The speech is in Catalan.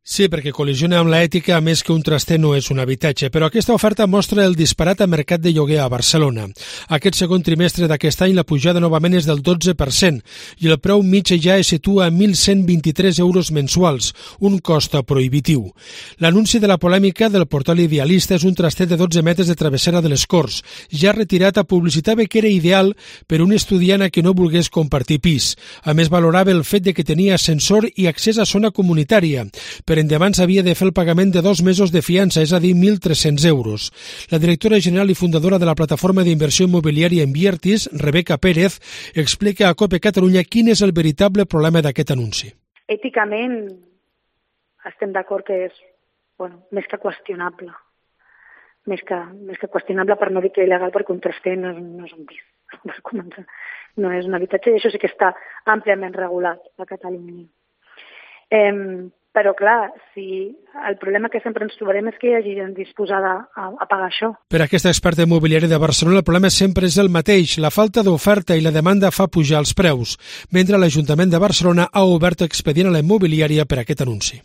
Sí, perquè col·lisiona amb l'ètica, a més que un traster no és un habitatge, però aquesta oferta mostra el disparat a mercat de lloguer a Barcelona. Aquest segon trimestre d'aquest any la pujada novament és del 12% i el preu mig ja es situa a 1.123 euros mensuals, un cost prohibitiu. L'anunci de la polèmica del portal Idealista és un traster de 12 metres de travessera de les Corts. Ja retirat, publicitava que era ideal per a un estudiant que no volgués compartir pis. A més, valorava el fet de que tenia ascensor i accés a zona comunitària. Per endavant s'havia de fer el pagament de 2 mesos de fiança, és a dir, 1.300 euros. La directora general i fundadora de la plataforma d'inversió immobiliària Enviertis, Rebeca Pérez, explica a COPE Catalunya quin és el veritable problema d'aquest anunci. Èticament estem d'acord que és més que qüestionable. Més que qüestionable, per no dir que il·legal, perquè un traster no és un pis. No és un habitatge i això sí que està àmpliament regulat a Catalunya. Però, clar, el problema que sempre ens trobarem és que hi hagi gent disposada a pagar això. Per aquesta experta immobiliària de Barcelona, el problema sempre és el mateix. La falta d'oferta i la demanda fa pujar els preus, mentre l'Ajuntament de Barcelona ha obert expedient a la immobiliària per aquest anunci.